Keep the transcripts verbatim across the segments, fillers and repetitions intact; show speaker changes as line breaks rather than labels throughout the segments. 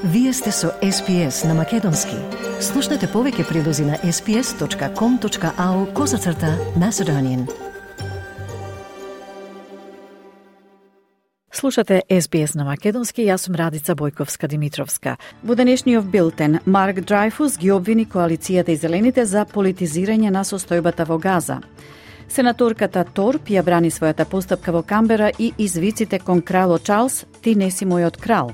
Вие сте со Ес Би Ес на Македонски. Слушнете повеќе прилози на ес би ес точка ком точка ау козацрта Macedonian.
Слушате Ес Би Ес на Македонски, јас сум Радица Бојковска-Димитровска. Во денешниот билтен, Марк Дрейфус ги обвини коалицијата и зелените за политизирање на состојбата во Газа. Сенаторката Торп ја брани својата постапка во Камбера и извиците кон кралот Чарлс, ти не си мојот крал.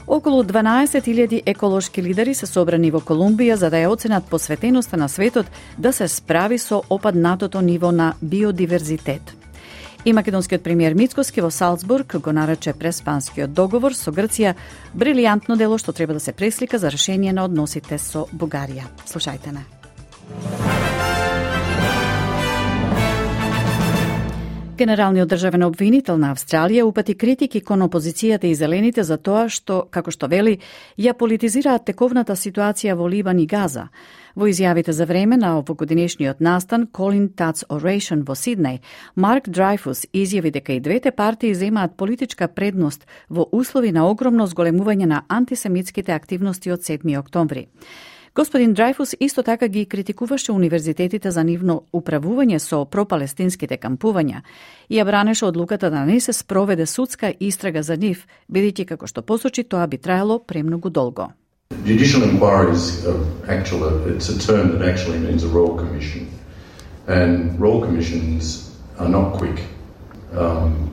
Околу дванаесет илјади еколошки лидери се собрани во Колумбија за да ја оценат посветеноста на светот да се справи со опаднатото ниво на биодиверзитет. И македонскиот премиер Мицкоски во Салцбург го нарече преспанскиот договор со Грција брилијантно дело што треба да се преслика за решение на односите со Бугарија. Слушајте не. Генералниот државен обвинител на Австралија упати критики кон опозицијата и зелените за тоа што, како што вели, ја политизираат тековната ситуација во Либан и Газа. Во изјавите за време на овогодинешниот настан Colin Tutt's Oration во Сиднеј, Марк Дрейфус изјави дека и двете партии земаат политичка предност во услови на огромно зголемување на антисемитските активности од седми октомври. Господин Дрейфус исто така ги критикуваше универзитетите за нивно управување со пропалестинските кампувања и ја бранеше одлуката да не се спроведе судска истрага за нив, бидејќи како што посочи тоа би траело премногу долго.
Judicial inquiry is uh, actually, it's a term that actually means a royal commission, and royal commissions are not quick. Um,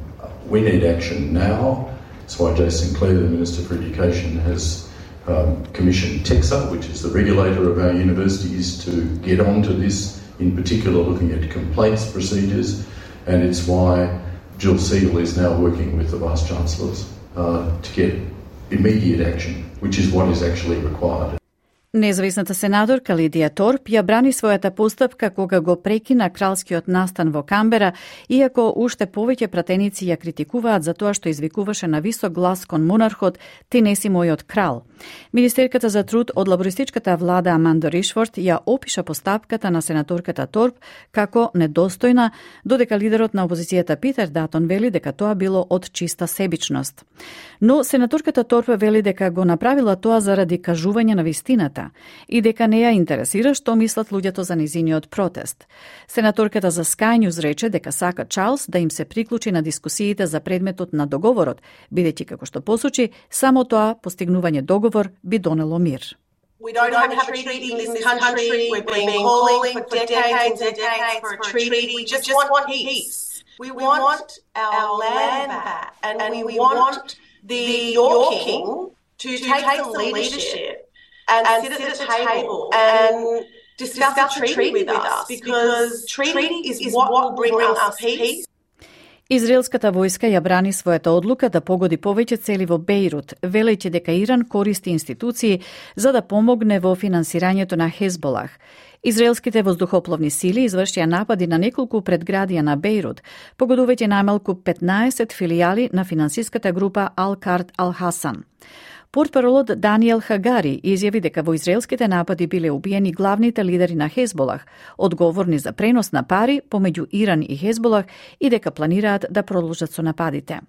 we need action now. That's why Jason Clare, the Minister for Education, has Um, commissioned TEXA, which is the regulator of our universities, to get onto this, in particular looking at complaints procedures, and it's why Jill Segal is now working with the Vice-Chancellors uh, to get immediate action, which is what is actually required.
Независната сенаторка Лидија Торп ја брани својата постапка кога го прекина кралскиот настан во Камбера, иако уште повеќе пратеници ја критикуваат за тоа што извикуваше на висок глас кон монархот "Ти не си мојот крал". Министерката за труд од лабористичката влада Аманда Ришфорд ја опиша постапката на сенаторката Торп како недостојна, додека лидерот на опозицијата Питер Датон вели дека тоа било од чиста себичност. Но сенаторката Торп вели дека го направила тоа заради кажување на вистината и дека не ја интересира што мислат луѓето за низиниот протест. Сенаторката за Sky News рече дека сака Чарлс да им се приклучи на дискусиите за предметот на договорот, бидејќи како што посочи, само тоа постигнување договор би донело мир.
We don't have a treaty in this country. We've been calling for decades and decades for a treaty. We just want peace. We want our land back, and we want the your king to take the leadership and sit at the table and discuss a treaty with us, because treaty is what will bring us peace.
Израелската војска ја брани својата одлука да погоди повеќе цели во Бејрут, велејќи дека Иран користи институции за да помогне во финансирањето на Хезболах. Израелските воздухопловни сили извршија напади на неколку предградија на Бејрут, погодувајќи најмалку петнаесет филијали на финансиската група Ал-Кард Ал-Хасан. Портпаролот Даниел Хагари изјави дека во израелските напади биле убиени главните лидери на Хезболах, одговорни за пренос на пари помеѓу Иран и Хезболах, и дека планираат да продолжат со нападите.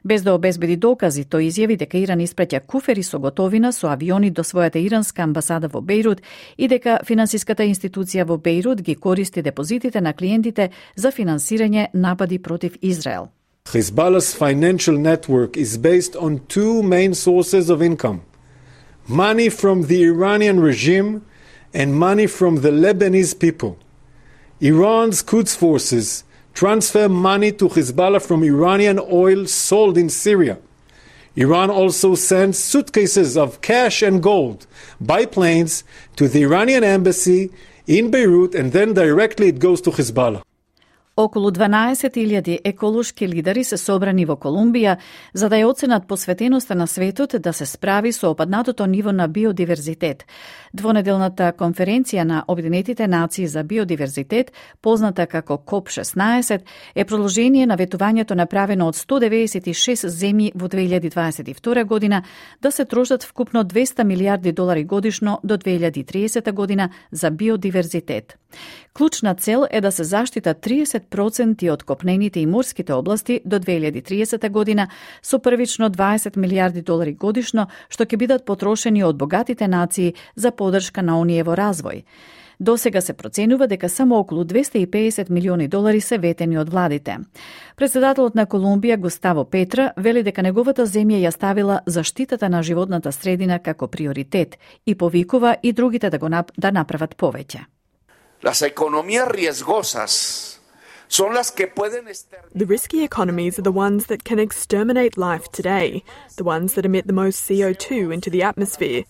Без да обезбеди докази, тој изјави дека Иран испраќа куфери со готовина со авиони до својата иранска амбасада во Бејрут и дека финансиската институција во Бејрут ги користи депозитите на клиентите за финансирање напади против Израел.
Hezbollah's financial network is based on two main sources of income: money from the Iranian regime and money from the Lebanese people. Iran's Quds forces transfer money to Hezbollah from Iranian oil sold in Syria. Iran also sends suitcases of cash and gold by planes to the Iranian embassy in Beirut, and then directly it goes to Hezbollah.
Околу дванаесет илјади еколошки лидери се собрани во Колумбија за да ја оценат посветеноста на светот да се справи со опаднатото ниво на биодиверзитет. Двонеделната конференција на Обединетите нации за биодиверзитет, позната како коп шеснаесет, е продолжение на ветувањето направено од сто деветдесет и шест земји во две илјади дваесет и втора година да се трошат вкупно двеста милијарди долари годишно до две илјади и тридесета година за биодиверзитет. Клучна цел е да се заштитат триесет проценти од копнените и морските области до две илјади и триесета година со првично дваесет милијарди долари годишно, што ќе бидат потрошени од богатите нации за поддршка на оние во развој. До сега се проценува дека само околу двесте и педесет милиони долари се ветени од владите. Председателот на Колумбија Густаво Петра вели дека неговата земја ја ставила заштитата на животната средина како приоритет и повикува и другите да го нап... да направат повеќе.
Las economías riesgosas son las que pueden
The risky economies are the ones that can exterminate life today, the ones that emit the most C O two into the atmosphere.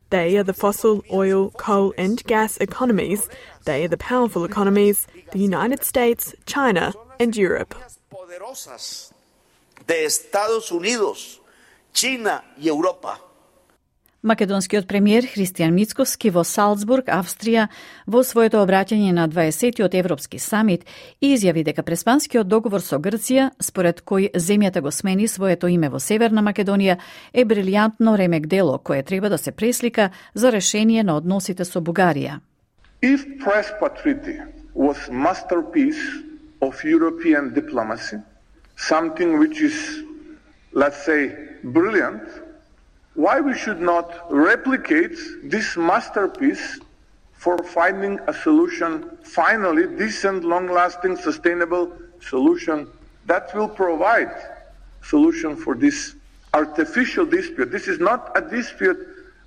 They are the fossil, oil, coal and gas economies. They are the powerful economies, the United States, China and Europe.
De Estados Unidos, China и Европа.
Македонскиот премиер Христијан Мицкоски во Салцбург, Австрија, во своето обраќање на дваесеттиот Европски самит изјави дека преспанскиот договор со Грција, според кој земјата го смени своето име во Северна Македонија, е брилјантно ремек дело кое треба да се преслика за решение на односите со Бугарија.
If Prespa Treaty was masterpiece of European diplomacy, something which is, let's say, brilliant, why we should not replicate this masterpiece for finding a solution, finally decent, long-lasting, sustainable solution that will provide solution for this artificial dispute. This is not a dispute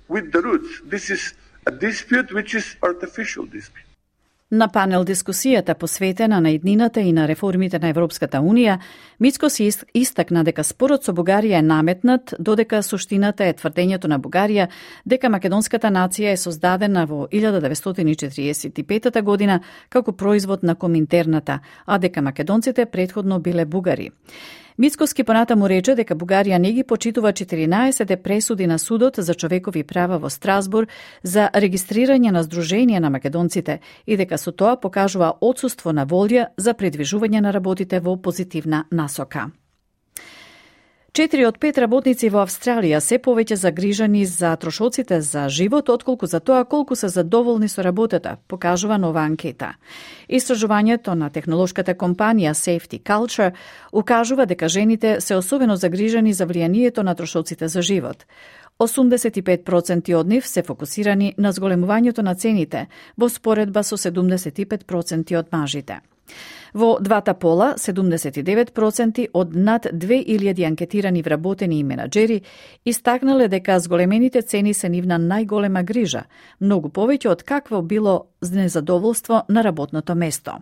with the roots. This is a dispute which is artificial dispute.
На панел дискусијата посветена на иднината и на реформите на Европската Унија, Мицко си истакна дека спорот со Бугарија е наметнат, додека суштината е тврдењето на Бугарија дека македонската нација е создадена во илјада деветстотини четириесет и петата година како производ на Коминтерната, а дека македонците претходно биле бугари. Мицкоски понатаму рече дека Бугарија не ги почитува четиринаесет пресуди на Судот за човекови права во Страсбур за регистрирање на Сдружение на македонците и дека со тоа покажува отсуство на волја за предвижување на работите во позитивна насока. Четири од пет работници во Австралија се повеќе загрижани за трошоците за живот, отколку за тоа колку се задоволни со работата, покажува нова анкета. Истражувањето на технолошката компанија Safety Culture укажува дека жените се особено загрижани за влијанието на трошоците за живот. осумдесет и пет проценти од нив се фокусирани на зголемувањето на цените, во споредба со седумдесет и пет проценти од мажите. Во двата пола, седумдесет и девет проценти од над две илјади анкетирани вработени и менаџери истакнале дека зголемените цени се нивна најголема грижа, многу повеќе од какво било незадоволство на работното место.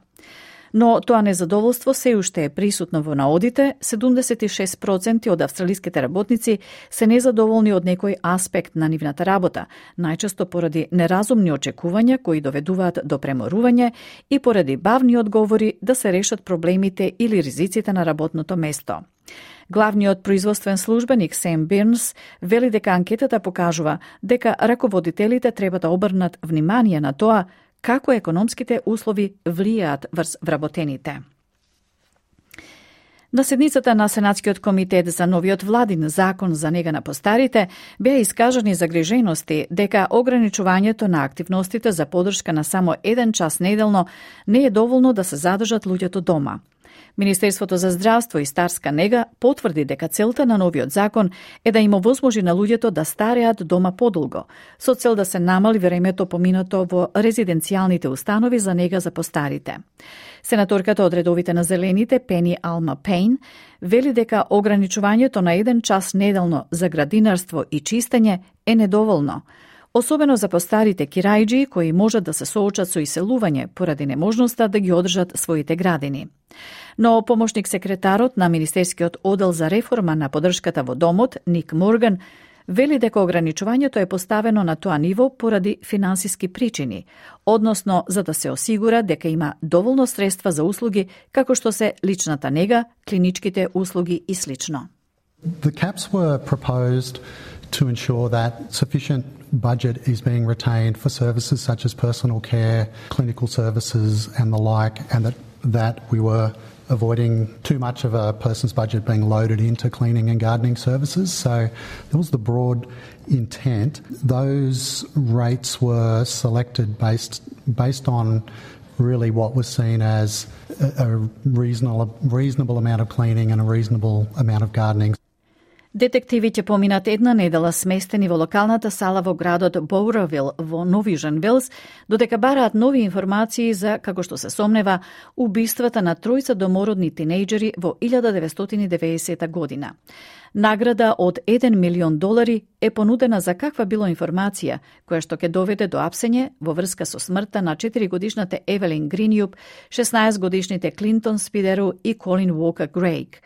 Но тоа незадоволство се уште е присутно во наодите, седумдесет и шест проценти од австралиските работници се незадоволни од некој аспект на нивната работа, најчесто поради неразумни очекувања кои доведуваат до преморување и поради бавни одговори да се решат проблемите или ризиците на работното место. Главниот производствен службеник Сем Бирнс вели дека анкетата покажува дека раководителите треба да обрнат внимание на тоа како економските услови влијаат врз вработените. На седницата на Сенатскиот комитет за новиот владин закон за нега на постарите беа искажани загрижености дека ограничувањето на активностите за поддршка на само еден час неделно не е доволно да се задржат луѓето дома. Министерството за здравство и старска нега потврди дека целта на новиот закон е да им овозможи на луѓето да стареат дома подолго, со цел да се намали времето поминато во резиденцијалните установи за нега за постарите. Сенаторката од редовите на Зелените, Пени Алма Пейн, вели дека ограничувањето на еден час неделно за градинарство и чистење е недоволно, особено за постарите кирајџи кои можат да се соочат со иселување поради неможноста да ги одржат своите градини. Но помошник секретарот на Министерскиот оддел за реформа на поддршката во домот, Ник Морган, вели дека ограничувањето е поставено на тоа ниво поради финансиски причини, односно за да се осигура дека има доволно средства за услуги како што се личната нега, клиничките услуги и слично.
The caps were proposed to ensure that sufficient budget is being retained for services such as personal care, clinical services and the like, and that, that we were avoiding too much of a person's budget being loaded into cleaning and gardening services. So that was the broad intent. Those rates were selected based based on really what was seen as a, a reasonable, reasonable amount of cleaning and a reasonable amount of gardening.
Детективи ќе поминат една недела сместени во локалната сала во градот Боуравил во Нов Јужен Велс, додека бараат нови информации за, како што се сомнева, убиствата на тројца домородни тинејџери во илјада деветстотини и деветдесета година. Награда од еден милион долари е понудена за каква било информација, која што ќе доведе до апсење во врска со смртта на четиригодишната Евелин Гринјуп, шеснаесетгодишните Клинтон Спидеру и Колин Уокер Грейг.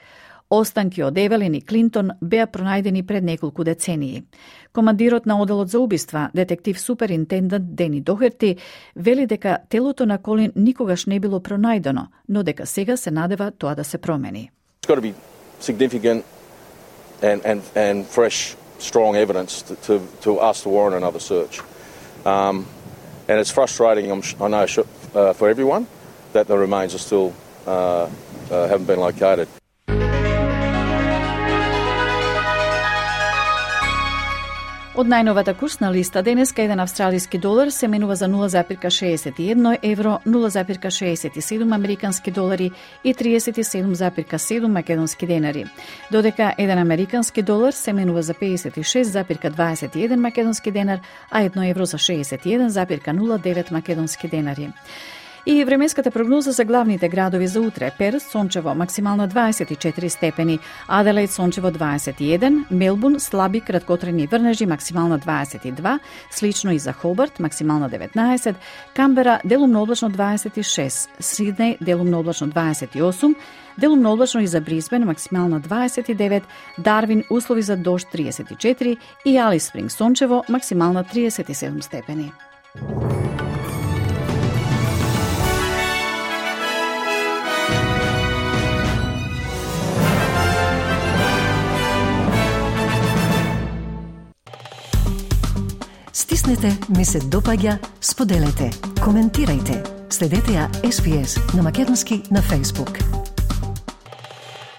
Останки од Евелин и Клинтон беа пронајдени пред неколку децении. Командирот на оделот за убиства, детектив суперинтендент Дени Дохерти, вели дека телото на Колин никогаш не било пронајдено, но дека сега се надева тоа да се промени.
It's got to be significant and, and, and fresh, strong evidence to, to, to us to warrant another search. Um, and it's frustrating, I'm, I know, uh, for everyone, that the remains are still uh, uh, haven't been located.
Од најновата курсна листа денеска еден австралиски долар се менува за нула запирка шеесет и едно евро, нула запирка шеесет и седум американски долари и триесет и седум запирка седум македонски денари. Додека еден американски долар се менува за пеесет и шест запирка дваесет и еден македонски денар, а едно евро за шеесет и еден запирка нула девет македонски денари. И временската прогноза за главните градови за утре: Перс сончево максимално дваесет и четири степени, Аделаид сончево дваесет и еден, Мелбурн слаби краткотрajни врнежи максимално дваесет и два, слично и за Хобарт максимално деветнаесет, Камбера делумно облачно дваесет и шест, Сиднеј делумно облачно дваесет и осум, делумно облачно и за Брисбен максимално дваесет и девет, Дарвин услови за дожд триесет и четири и Алис Спринг сончево максимално триесет и седум степени.
Стиснете, ми се допаѓа, споделете, коментирајте. Следете ја Ес Би Ес на македонски на Facebook.